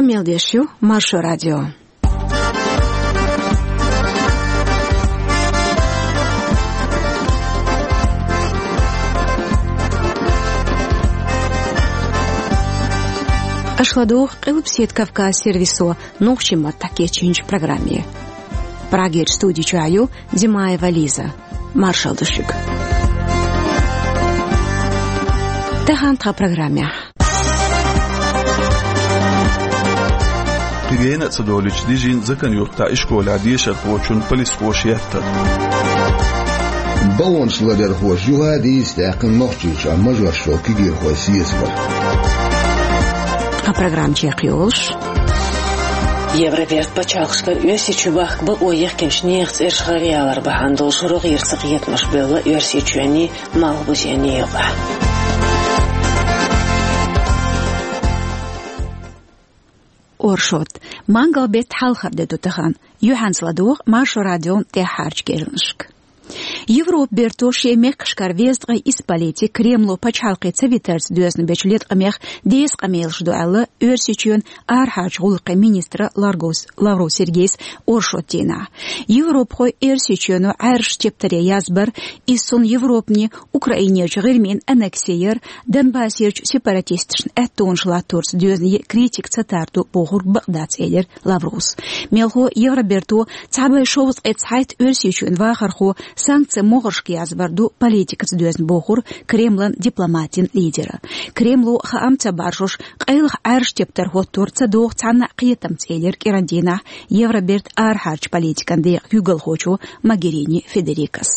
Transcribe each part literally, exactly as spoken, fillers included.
Мел деш ю Маршо радио. Аша ладугӀу Къилбаседа Кавказ сервисо нохчийн маттахь кечйинчу программе. Прагерчу студи чохь ю Димаева Лиза. Маршалла ду шуьга. Тахана тхан программехь. Кхин гена а ца долуьйтуш дижина Закан-Юьртахь ишколехь дешархочун полисхоша еттар. Баллонаш ларъярхоша юха а дийца даьккхина Нохчийчохь мажош йолу кегийрхой сецамаш. Тхан программа чекхйолуш. Евроберт пачхьалкхашкара Оьрсийчу бахка бакъо яхкинчу нехан цӀераш гӀаръялар бахьана долуш рогӀера цакхетамаш бевлла Оьрсийчоьнний, Малхбузенний юкъахь. Оршот. Мангал-беттан хьалхара де ду тахана. Юьхьанца ладогӀа Маршо радион тӀаьххьарчу керланашка. Европан берто шен мехкашкара везткъе исс политик Кремло пачхьалкхе ца витарца доьзна бечу леткъамех деза къамелаш ду аьлла, Оьрсийчоьнан арахьарчу гӀуллакхийн министра Ларгус-, Лавров Сергейс оршот дийнахь. Европахой Оьрсийчоьно Ӏаьржачу тептаре язбар, иза цунна Европане Украинерчу ГӀирмин аннекси яр, Донбассерчу сепаратисташна аьттонаш латторца доьзна е критика ца тардо бохург бакъ дац, элира Лаврус. Мелхо Евроберто цхьа бӀе шовзткъе цхьайтта Оьрсийчоьнан вахархо санкцийн могӀаршка язбар ду политикаца доьзна бохура Кремлан дипломатийн лидера. Кремло хаам ца баржош, къайлаха Ӏаьржа тептар хӀоттор ца догӀу цхьанна а кхетамца, элира кӀиран дийнахь Евроберт арахьарчу политикан декъан куьйгалхочо Могерини Федерикас.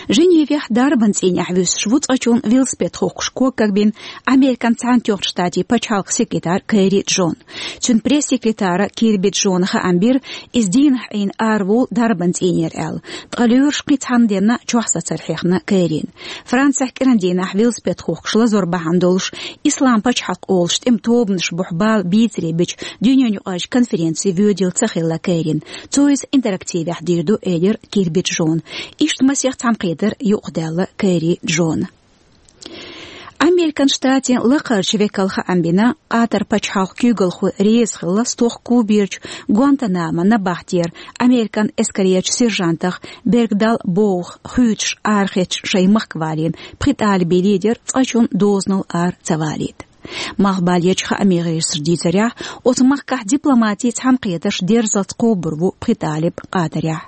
Женевехь дарбан цӀийнехь вуьсуш ву цкъачунна велосипед хухкуш ког кагбина Американ Цхьаьнатоьхначу Штатийн пачхьалкхан секретарь Керри Джона. Цуьнан пресс-секретара Кирби Джона хаам бира, иза дийнахь Ӏийна араволу дарбан цӀийнера аьлла, ткъа лоьраш кхин цхьана денна чохь сацар хьехна Керрина. Францехь кӀиран дийнахь велосипед хухкуш лазор бахьана долуш, Ислам пачхьалкх олуш тӀеман тобанаш бухахь бала бийцаре бичу дуьненаюкъарчу конференце воьдийла ца хилла Керрина. Цо иза интерактивехь дийр ду, элира Кирби Джона. Иштта масех цхьаьнакхетар юкъадаьлла Керри Джона. Американ Штатийн лакхарчу векала хаам бина, Къатар пачхьалкхан куьйгалхой реза хилла стохка Куберчу Гуантанамо набахтера американ эскарерчу сержантах Бергдал Боух хуьйцуш арахецча шайн махка валийна пхи талибан лидер цкъачунна дозанал ара ца валийта. Малхбалерчу хааман гӀирсаша дийцарехь, оцу махкахь дипломатийн цхьаьнакхетарш дерзалц кхобур ву пхи талиб Къатарехь.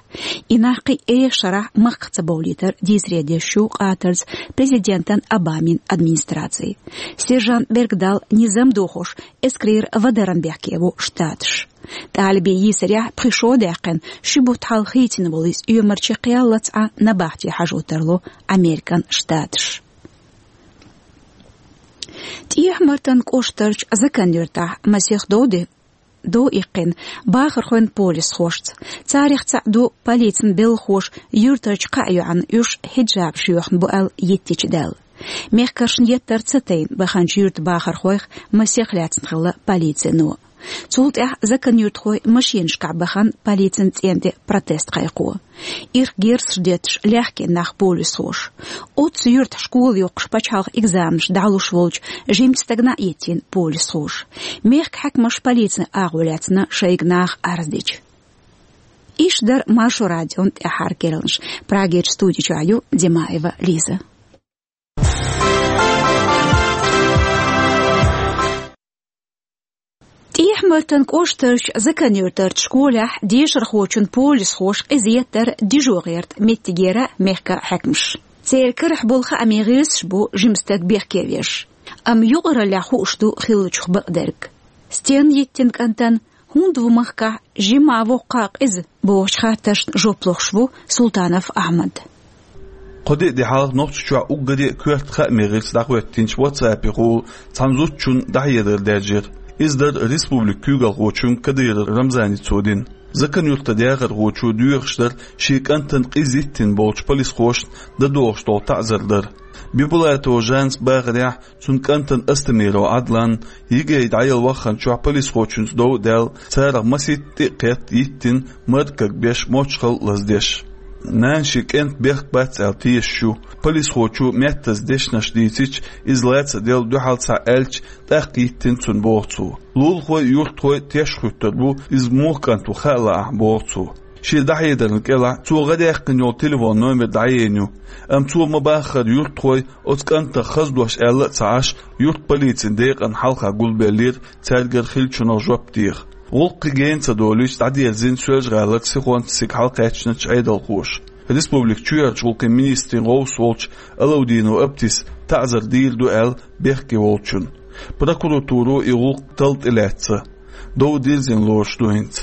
И нах кхин а эшарахь махках ца бовлийтар дийцаре деш ю Къатарца президентан Обамин администраци. Сержант Бергдал низам дохош эскарера вадаран бехке ву Штаташ. Талибийн йийсарехь пхи шо а даьккхина, ши бутт хьалха хийцина волу иза оьмарче кхел лаца Ӏа набахте хьажо тарло Американ Штаташ. ТӀехьа-Мартан кӀоштарчу Закан-Юьртахь масех дов де-, дов иккхина бахархойн полисхошца. Царах цхьаъ ду полицин белхахоша юьртарчу кхаа йоӀана уьш хьиджабаш йоьхна бу аьлла йиттича даьлла. Мехкаршна еттар ца тайна баханчу юьртан бахархойх масех лаьцна хилла полицино. Цул тӀаьхьа Закан-Юьртахой машинашкахь бахана полицин цӀен тӀе протест кхайкхо. Ирх герзаш детташ лаьхкина нах полисхоша. Оццу юьртахь школа йоккхуш пачхьалкхан экзаменаш дӀалуш волчу жимачу стагана а йиттина полисхоша. Мехкан хьаькамаша полицин агӀо лаьцна шайга наха арз дича. Иштта дара Маршо радион тӀаьххьара керланаш. Прагерчу студи чохь ю Димаева Лиза. ТӀехьа-Мартан кӀоштарчу Закан-Юьртарчу школехь дешархочун полисхоша къиза еттар дижо гӀерта меттигера мехкан хьаькамаш. Церан карахь болу хааман гӀирсаш бу жима стаг бехке веш. Амма юкъараллехь хууш ду хиллачух бакъдерг. Стенна йиттина кӀантана, хӀунда ву махкахь жимма а воккха а къиза бохучу хаттаршна жоп лохуш ву Султанов Ахьмад. Кхо де а де хьалха Нохчийчохь уггаре а коьрта хааман гӀирс дӀахӀоьттинчу WhatsApp-ехула цхьана зудчунна дӀахьедар даьржира. Иза дара республикан куьйгалхочун Кадыров Рамзаница дина. Закан-Юьртан дехархочо доьхуш дара шен кӀантана къиза йиттина болчу полисхошна дан догӀуш долу таӀзар дар. Бибулатова Жанас бахарехь, цуьнан кӀантана Астамиров Ӏадланна ЕГЭ дӀаяла ваххана чохь полисхочуьнца дов а даьлла, царах масийтта тӀе а кхетта йиттина, маркаг беш, мочхал а лаздеш. Нана шен кӀентан бехк бац аьлла тешаш ю. Полисхочо меттаза дешнаш дийцича, иза лаца делла дуьхьал цхьа аьлча, тӀаккха йиттина цунна боху цо. Лулахой, юьртахой теш хӀуьттур бу, иза муха кӀант ву хаа лаахь, боху цо. Шен дӀахьедарна кӀелахь цо гӀа даьккхина йолу телефон номер дӀаенна ю, амма цо ма-баххара юьртахой оцу кӀантах хаза дош аьлла а ца Ӏаш, юьртан полицин декъана хьалха гулбеллера цаьргара хиллачунах жоп деха. ГӀуллакх кхин гена ца долуьйтуш дӀадерзийна Соьлжа-ГӀалара Сихонца цига хьалакхаьчначу Ӏедалхоша. Республикан чоьхьарчу гӀуллакхийн министрийн гӀовс волчу Алаудинов Аптис таӀзар дийр ду аьлла бехке волчунна. Прокуратуро и гӀуллакх талла тӀелаьцна, дов дирзина лоруш ду хӀинца.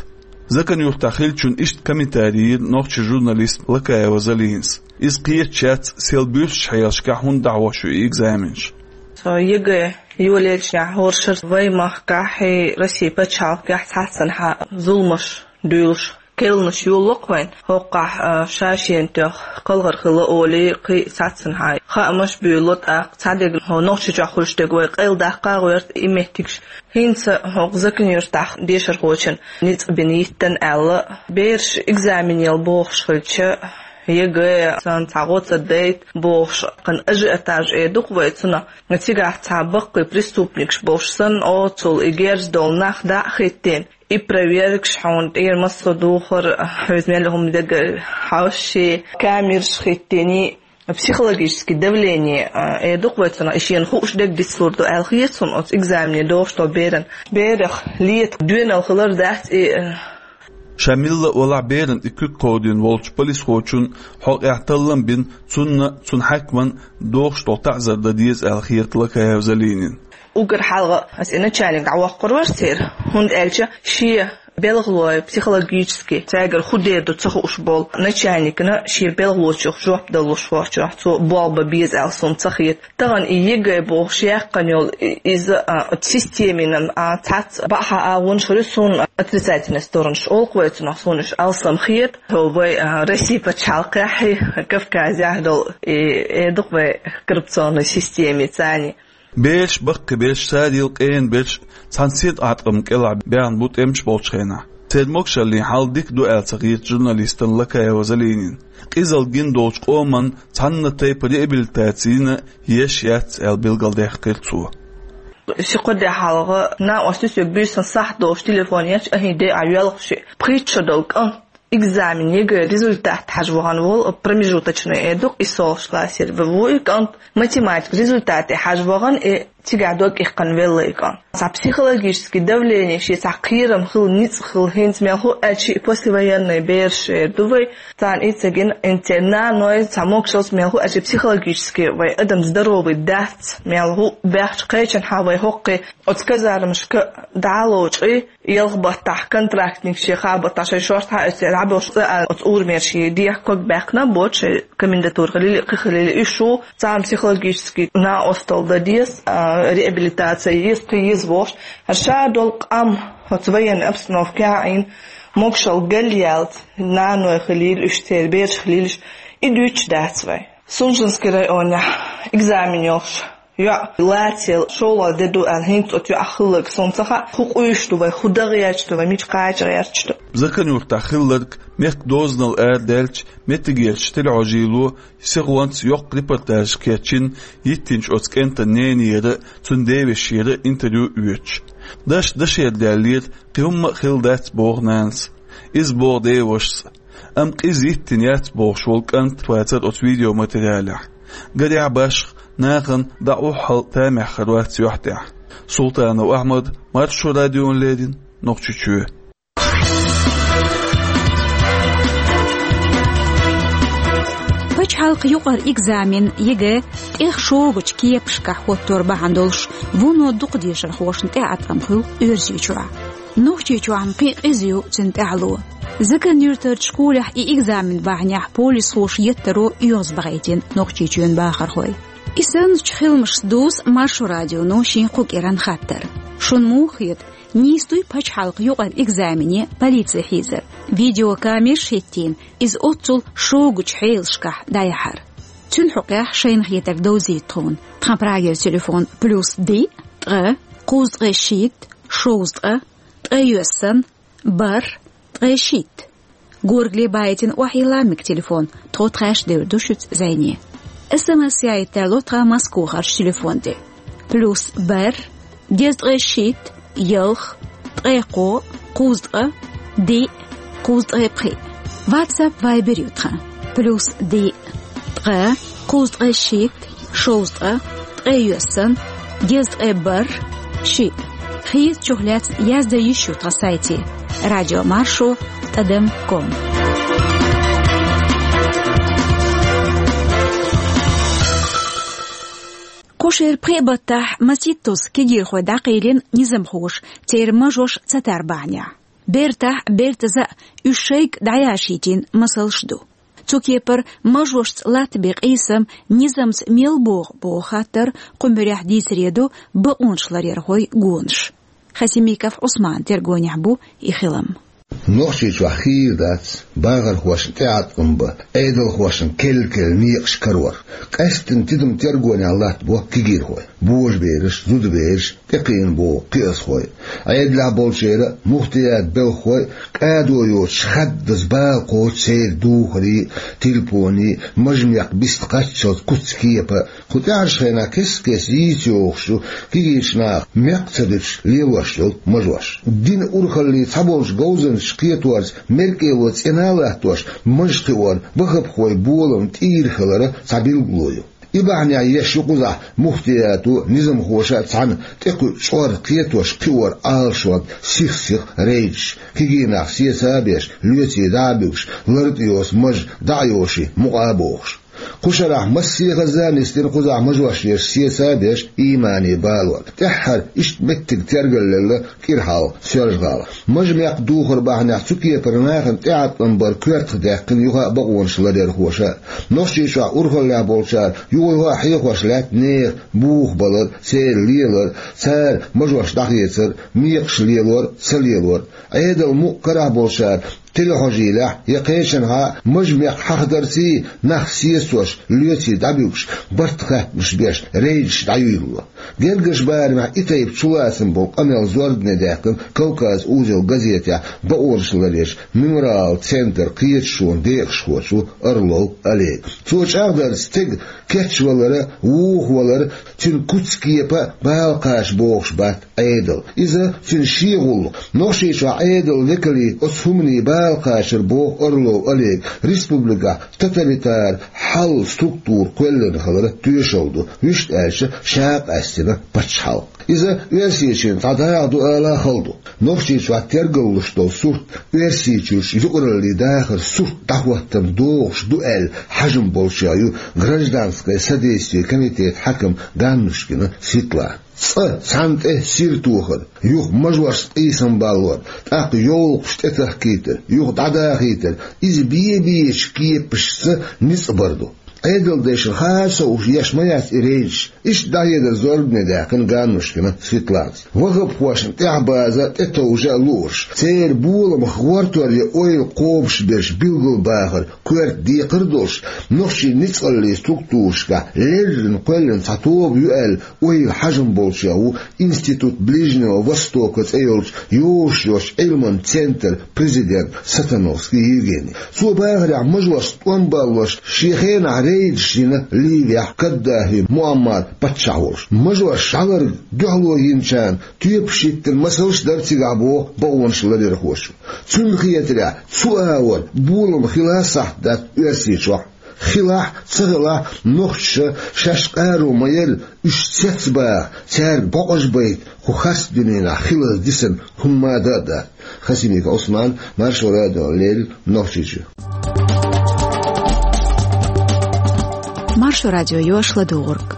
Закан-Юьртахь хиллачунна иштта комментарий йира нохчийн журналиста Лакаева Залинас. Иза кхеташ яц, сел буьрсачу хьелашкахь хӀунда дӀахьош ю и экзаменаш. Со ЕГЭ йолаелча хӀора шарахь вайн махкахь а, Россин пачхьалкхехь а цхьаццанхьа зуламаш дуьйлуш, керланаш йолало-кх вайна. ХӀокхахь, а, ша-шена тоьхна кхалхар хилла олий, кхин а цхьаццанхьа хаамаш буьйлало, тӀаккха цхьа дерг хӀокху Нохчийчохь хуьлуш дерг вай къайладаккха а гӀерта и меттигаш. ХӀинца хӀокху Закан-Юьртахь дешархочун ницкъ бина йиттина аьлла, бераш экзамен яла бохуш хилча, ЕГЭ санна цхьа гӀо ца дайта бохуш, кхин ажиотаж эр ду-кх вай цунах. Цигахь цхьа баккхий преступникаш болуш санна, оццул и герз долу нах дӀа а хӀиттийна, и проверкаш, хьуна тӀера массо а духар, хьоьца мел хӀума дерг хьовсий, камераш хӀиттийний, психологический давление, а, эр ду-кх вай цунах, и шена хууш дерг дицлур ду аьлла хета суна оцу экзамене догӀуш долу беран. Берах лета доьналла хилар дац и, а. Ша милла а валахь, берана и куьг кховдийна волчу полисхочунна хьокъехь таллам бина, цунна а, цуьнан хьаькамна а догӀуш долу таӀзар дан деза аьлла хета Лакаева Залинина. Уггар хьалха аса и начальник дӀавоккхур вара церан, хӀунда аьлча шен белхалой психологически цаьргара хӀун дер ду ца хууш болу начальникна шен белхалочух жоп далуш хӀорчохь цо болх бан беза аьлла суна ца хета. Тахана и ЕГЭ бохуш яьккхина йолу и-, иза, а, системина, а, цхьацца баьхьа агӀонаш хуьлу суна, отрицательная сторонаш олу-кх вай цунах, суна уьш алсам хета. Хьо вай, а, Россин пачхьалкхехь а, Кавказехь а долу и, эр ду-кх вай, коррупционная система царна. Бераш, баккхий бераш, царел къена бераш цхьана синтем кӀелахь баьхна бу тӀемаш болчу хенахь. Церан могушаллин хьал дика ду аьлла ца хета журналистана Лакаева Залинина. Къизалла гина долчу къоман цхьана тайпа реабилитацина еш яц аьлла билгалдаьккхира цо. Ши-кхо де хьалха накъостий соьга буьйсанна сахьт долуш телефон ечу, ахьа де а йоьлхуш, пхийтта шо долу кӀант экзамен, ЕГЭ результат хьажа вахана волу, промежуточный эр ду-кх, и солш классера ву и кӀант, математика результате хьажа вахана, и цигахь дог иккхина велла и кӀант. Цхьа психологический давление, шен цхьа кхерам хила, ницкъ хила, хӀинца мел хӀу аьлча и послевоенный бераш эр ду вай, царна и ца гина, интернаной цхьа могушаллица мел хӀу аьлча психологически вай адам здоровый дац, мел хӀу баьхча кхечанхьа вай хӀоккхе оцу казармашка дӀа а лоцкъий, ялх баттахь контрактник шен хаа баттахь шайн шорта хьаэццера дӀабоьлхуш цӀа аьлла, оцу урамера шен дехьа ког баьккхина а боцуш, шайн комендатура хилийла, кхин хилийла, уьш ву царна психологически накъосталла дан деза, а, реабилитация еза, кхин еза бохуш. ХӀара ша долу къам оцу военной обстановкехь а Ӏийна, могушалла галъяьлла, наной хилийла уьш, церан бераш хилийла уьш, и дуьйцуш дац вай. Сунженский районехь экзамен йолуш йоӀ лацийла шолгӀа де ду аьлла, хӀинца оцу йоӀах хилларг суна ца хаьа, хӀу къуьйсуш ду вай, хӀу дан гӀерташ ду вай, мича кхача гӀерташ ду. Закан-Юьртахь хилларг мехкан дозанал арадаьлча, меттигерчу телехьожийло Сихонца йоккха репортаж кечйина йиттинчу оцу кӀентан ненера а, цуьнан девешера а интервью оьцуш. Дашна дашера даьллера, кхин хӀумма а хилла дац, боху нанас. Иза боху девашас а. Амма къиза йиттина яц бохуш волу кӀант вацара оцу видеоматериалехь. Гарехь, башха нахана дӀа охьахула тамехь хир вац юьхь тӀехь. Султанов Ахьмад, Маршо радиона леррина, Нохчийчоь. Пачхьалкхан юкъара экзамен, ЕГЭ, тӀех шогачу кепашкахь хӀоттор бахьана долуш, вуно дукха дешархошна тӀеӀаткъам хуьлу Оьрсийчохь. Нохчийчохь-м кхин а къиза ю цуьнан тӀаьхьало. Закан-Юьртарчу школехь и экзамен бахьанехь полисхоша еттаро оьгӀазбахийтина Нохчийчоьнан бахархой. И санначу хиламашца дуьйцу Маршо радионо шен кху кӀиран хаттар. Шуна муха хета, нийса дуй пачхьалкхан юкъара экзамене полици хьийзар? Видеокамераш хӀиттийна, иза оццул шогачу хьелашкахь дӀаяхьар. Цуьнан хьокъехь шайна хетарг довзийта тхуна. Тхан Прагера телефон: плюс диъ, ткъа, кхузткъе шийтта, шовзткъа, ткъе йоьссан, бархӀ, ткъе шийтта. Горгали байтина охьайилла мега телефон, тхо тхаьш девр ду шуьца зӀене. СМС яйта тарло тхан Москвахарчу телефон тӀе. Плюс бер, деза ткъе шийтта, ялх, ткъе кхо, кхузткъа, диъ, кхузткъе пхиъ. WhatsApp, Viber ю тхан. Плюс диъ, ткъа, кхузткъе шийтта, шовзткъа, ткъе йоьссан, деза ткъе бер, шиъ. Хезачух лаьцна яздан йиш ю тхан сайте: радиомаршо тӀадам ком. Кху шеран пхеа баттахь маситтаза кегийрхой дӀакъайлина низамхоша церан мажош ца тар бахьанехь. Бертахь, бертаза а уьш шайга дӀаяшийтина масалш ду. Цу кепара мажошца латтабен къийсам низамца мел богӀу боху хаттар кху муьрехь дийцаре ду бакъонашларъярхойн гонаш. Хасимиков Ӏусманан тергонехь бу и хилам. Нохчийчохь хийра дац бахархошна тӀеӀаткъам бан, Ӏедалхошна керла-керла некъаш карор. Къаьсттина тидам-тергонехь латтабо кегийрхой. Божабераш, зудабераш, тӀекхийна богӀу кхиазхой. Ӏедалехь болчеран а, муфтиятан белхахойн а кӀадо йоцуш хаддаза бала кхочу церан духарийн а, телефонийн а, мажа-мекх биста кхаччалц куц-кепа а. Кху тӀаьхьарчу хенахь кест-кеста йийца йогӀуш ю кегийчу наха мекх ца дуьтуш лелош йолу мажош. Динан урхаллин цхьаболчу говзанчаша кхеторца меркӀело цӀена а латтош, мажа кхиоран ваххабхойн болам тӀера хиларан цхьа билгало ю. И бахьанехь еш ю кхузахь муфтиято а, низамхоша а цхьаьна тӀекхуьу чкъор кхетош кхиоран Ӏалашонга сих-сиха рейдаш, кегий нах сеца а беш, лоьций дӀа а буьгуш, лартӀехь йоцу мажа дӀа а йоший, мукъа а бохуш. Кху шарахь массехаза а нисдина кхузахь мажош еш, сеца а беш, иймане балор. ТӀаьххьара иштта меттиг тергал лелла кӀира хьалха Соьлжа-ГӀалахь. Мажа-мекх духар бахьанехь цу кепара нахана тӀеӀаткъам бар коьртах даьккхина юха а бакъонашларъярхоша. Нохчийчохь урхаллехь болчара юха-юха а хьехош лаьтта нехан бухабалар, церан лелар, цара мажош дӀахецар, мекхаш лелор, ца лелор. Ӏедалан мукъа карахь болчара телехьожийлехь я кхечанхьа а мажа-мекх хьахадарций, нах сецош, лоьций дӀабуьгуш, барт-хаттамаш беш, рейдаш дӀаюьйлало. Гергарчу барамехь и тайпа чулацам болу къамел зорбане даьккхина «Кавказ-узел» газетехь бакъонашларъяран «Мемориал» центран кхеташонан декъашхочо Орлов Олега. Цо чӀагӀдарца, стеган кечвалар а, вухавалар а, цуьнан куц-кепа а бала кхача бохуш бац Ӏедал. Иза цуьнан шен гӀуллакх. Нохчийчохь Ӏедалан векалийн оцу хӀуманийн бала кхачар, боху Орлов Олега, республикехь тоталитаран хьал, структура кхоьллина хиларан тоьшалла ду, вуьшта аьлча, ша а къаьстина пачхьалкх. Иза Оьрсийчоьнан цхьа дакъа ду ала а хала ду. Нохчийчохь тергаллуш долу сурт Оьрсийчуьрчу юкъараллин дахаран сурт дӀахӀоттам догӀуш ду аьлла хьажам болчех ю гражданское содействие комитетан хьаькам Ганнушкина Светлана. Цкъа цхьанна тӀе сир тохар, юха мажошца къийсам баллор, тӀаккха йовлакхаш тӀетахкийтар, юха дӀадахийтар, иза бен-бечу кепашца ницкъ бар ду. Ӏедалдешна хаа ца хууш еш ма яц и рейдаш, иштта дӀахьедар зорбане даьккхина Ганнушкина Светланас. Ваххабхошна тӀаьхьабаза а, тӀетовжа а луурш, церан боламах гӀортор ян ойла кхобуш берш билгалбахар коьрта декхар а долуш, нохчийн ницкъаллин структурашкахь леррина кхоьллина цхьа тоба ю аьлла ойла хьажам болчех ву Институт Ближнего Востока цӀе йолчу йозуш йолчу Ӏилман центран президент Сатановский Евгений. Цо бахарехь, мажошца тӀом баллош шен хенахь рейдаш йина Ливехь Каддафи Муаммар паччахь волуш. Мажош жӀаларга дуьхьало йинчарна тоьпаш хӀиттина масалш а дара цигахь, боху бакъонашларъярхоша. Цунна хетарехь, цу агӀор болам хила сахьт дац Оьрсийчохь. Хилахь а, ца хилахь а, нохчаша шаьш къаро ма-ярра, уьш цецбаха, цаьрга бокъаж байта кху харц дуьненахь хилар дисина хӀумма а дан а дац. Хасимиков Ӏусман, Маршо радиона леррина, Нохчийчоь. Маршо радио йош ладугӀург.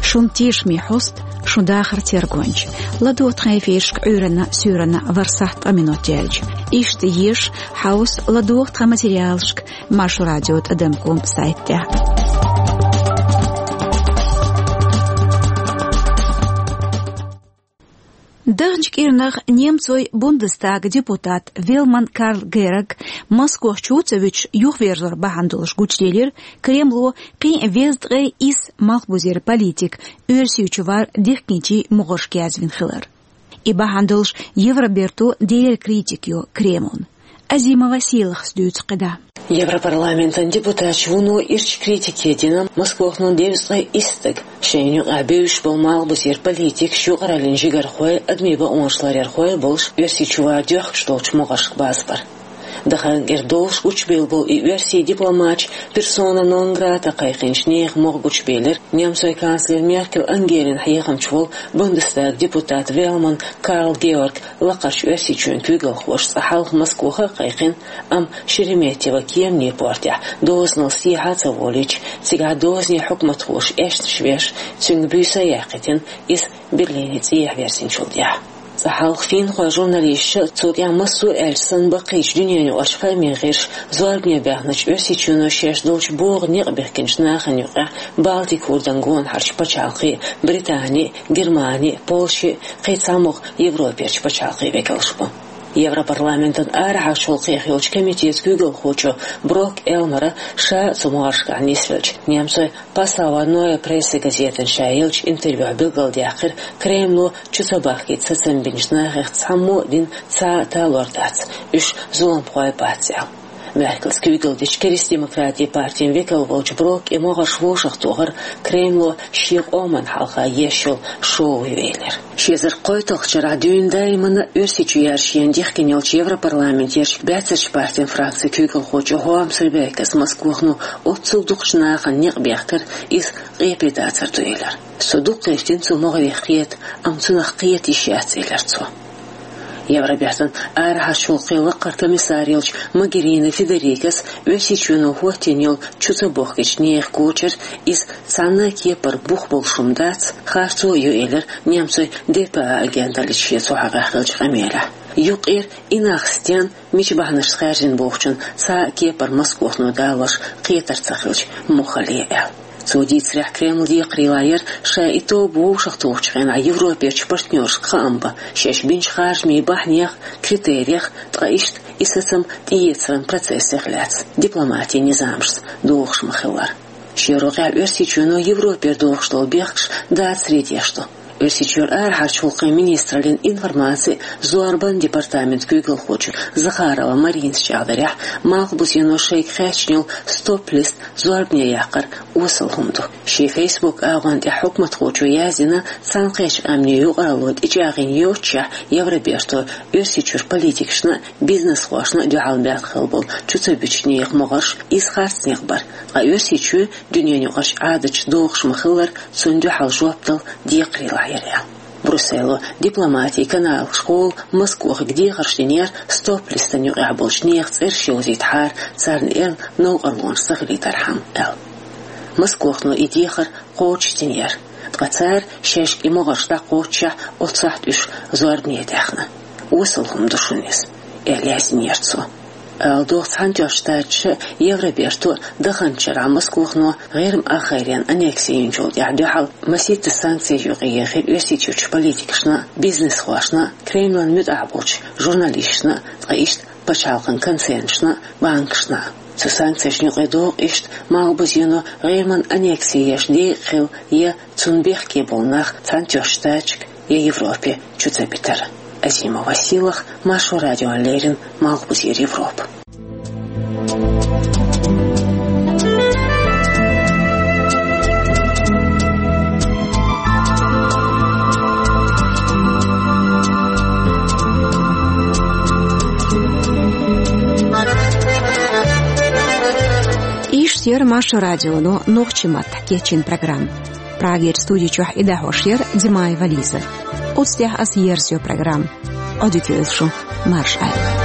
Шун тешаме хьоста, шун дахар тергонча. ЛадогӀа тхан эфирашка Ӏуьйранна, суьйранна ворхӀ сахьт ткъа минот яьлча. Иштта еша, хьовса, ладогӀа тхан материалашка Маршо радио тӀадам ком сайт тӀехь. Даханчу кӀирнах немцойн Бундестаган депутат Велман Карл Гераг Москох чу ца вуьтуш юхаверзор бахьана долуш гучуделира Кремло кхин а везткъе исс малхбузера политик Оьрсийчу вар дихкинчийн могӀаршка язвина хилар. И бахьана долуш Евроберто дера критика йо Кремлна. Азимова Сийлахас дуьйцу кхидӀа. Европарламентан депутаташ вуно ирча критике дина Москвахо девзткъе исс стаг. Шайна юкъахь бевзаш болу малхбузера политикаш, юкъараллин жигархой, адамийн бакъонаш ларъярхой болуш Оьрсийчу вар доьхкуш долчу могӀаршка базбар. Дахаран кӀира долуш гучубелла болу и оьрсийн дипломаташ персона нон грата кхайкхинчу нехан могӀа гучубелира немцойн канцлер Меркель Ангелин хьехамча волу Бундестаг депутат Велман Карл Георг лакхарчу Оьрсийчоьнан куьйгалхоша цкъа хьалха Москвахо а кхайкхина, амма Шереметьево кеманийн портехь дозанал сехьа а ца волийча, цигахь дозанийн хьукматхоша эшнаш веш, цуьнга буьйса а яьккхийтина, иза Берлине цӀехьа верзинчул тӀаьхьа. Цкъа хьалха финхойн журналисташа, цул тӀаьхьа массо а аьлча санна баккхийчу дуьненаюкъарчу хаамийн гӀирсаша зорбане баьхначу Оьрсийчоьно шаьш долчу богӀу некъ бихкинчу нахана юкъахь Балтик хӀордан гонахарчу пачхьалкхийн, Британин, Германин, Польшин, кхин цхьамогӀа Европерчу пачхьалкхийн векалш бу. Европарламентан арахьарчу гӀуллакхийн йолчу комитетан куьйгалхочо Брок Элмара ша а цу могӀаршкахь нисвелча, немцойн Passauer Neue Presse газетана ша еллачу интервьюхь билгалдаьккхира Кремло чу ца бахкийта сацам бинчу нахах цхьаммо а дина цхьа а талор дац, уьш зуламхой бац аьлла. Меркелс куьйгалла дечу Кристдемократийн партин векал волчу Брокка и могӀарш вовшахтохар Кремло шен къоман хьалха еш йолу шоу ю элира. Ши эзар кхойтталгӀачу шарахь дуьйна даимана Оьрсийчу яьржина дихкина йолчу Европарламентерчу баьццарчу партин фракцин куьйгалхочо Хоамс Ребеккас Москвахо оццул дукхачу нахана некъ бехкар, иза къепе дацар ду элира. Со дуккха гӀиртина цу могӀарехь кхета, амма цунах кхета йиш яц, элира цо. Евробертан арахьарчу гӀуллакхийн лакхара комиссар йолчу Могерини Федерикас Оьрсийчоьно хӀоттийна йолу чу ца бохкийчу нехан кочар, иза цхьанна а кепара бух болуш хӀума дац, харцо а ю, элира немцойн Д П А агенталлица шен цу хьокъехь хиллачу къамелехь. Юккъера и нах стенна, мичу бахьанашца хаьржина бохучун цхьа а кепара Москвахо далош кхетар ца хилча, муххале аьлла. Цо дийцарехь, Кремлан декхарийлахь яра ша и тоба вовшахтохучу хенахь Европерчу партнершка хаам бан шаьш бинчу харжамийн бахьанех, критериех, ткъа иштта и сацам тӀеэцаран процессех лаьцна дипломатин низамашца догӀуш ма-хиллара. Шен рогӀехь Оьрсийчоьно Европера догӀуш долу бехкаш дацаре деш ду. Оьрсийчуьра арахьарчу гӀуллакхийн министраллин информацин а зорбанан департаментан куьйгалхочо Захарова Маринас чӀагӀдарехь, малхбузено шайга хаьттина йолу стоп-лист зорбане яккхар осал хӀума ду. Шен Facebook агӀон тӀехь хьукматхочо яздина, Цхьаьнакхеттачу Къаьмнийн юкъаралло тӀечӀагӀйина йоццушехь, Евроберто Оьрсийчуьра политикашна а, бизнесхошна а дуьхьал баьхна хилла болу чу ца буьтучу нехан могӀарш, иза харц некъ бара, ткъа Оьрсийчоь дуьненаюкъарчу Ӏадаташца догӀуш ма-хиллара, цунна дуьхьал жоп дала декхарийлахь яра аьлла. Брюссело дипломатин каналашкахула Москвахо дехарш динера стоп-листан юкъахь болчу нехан цӀераш йовзийтахьара, царна эрна новкъарлонаш ца хилийтархьама аьлла. Москвахо и дехар кхочушдинера, ткъа цара шаьшка и могӀарш дӀакхоччушехь, оццахь уьш зорбане даьхна. Осал хӀума ду шуна иза, аьлла яздинера цо. Ала догӀу, Цхьаьнатоьхначу Штаташа а, Евроберто а даханчу шарахь Москвахо ГӀирма ахгӀайренна аннекси йинчул тӀаьхьа дуьхьал масийтта санкцеш юкъаехира Оьрсийчуьрчу политикашна а, бизнесхошна а, Кремлан муьтӀахь болчу журналисташна а, ткъа иштта пачхьалкхан концернашна а, банкашна а. Цу санкцешна юкъа догӀу иштта малхбузено ГӀирман аннекси еш декъа хилла я цунна бехке болу нах Цхьаьнатоьхначу Штаташка я Европе чу ца битар. Азимова Сийлахь, Маршо радиона леррина, Малхбузера Европа. Иштта яра Маршо радионо нохчийн маттахь кечйина программа. Прагерчу студи чохь и дӀахьош яра Димаева Лиза. Оцу тӀехь аса ерзайо программа. Ӏодика йойла шун, марша Ӏайла.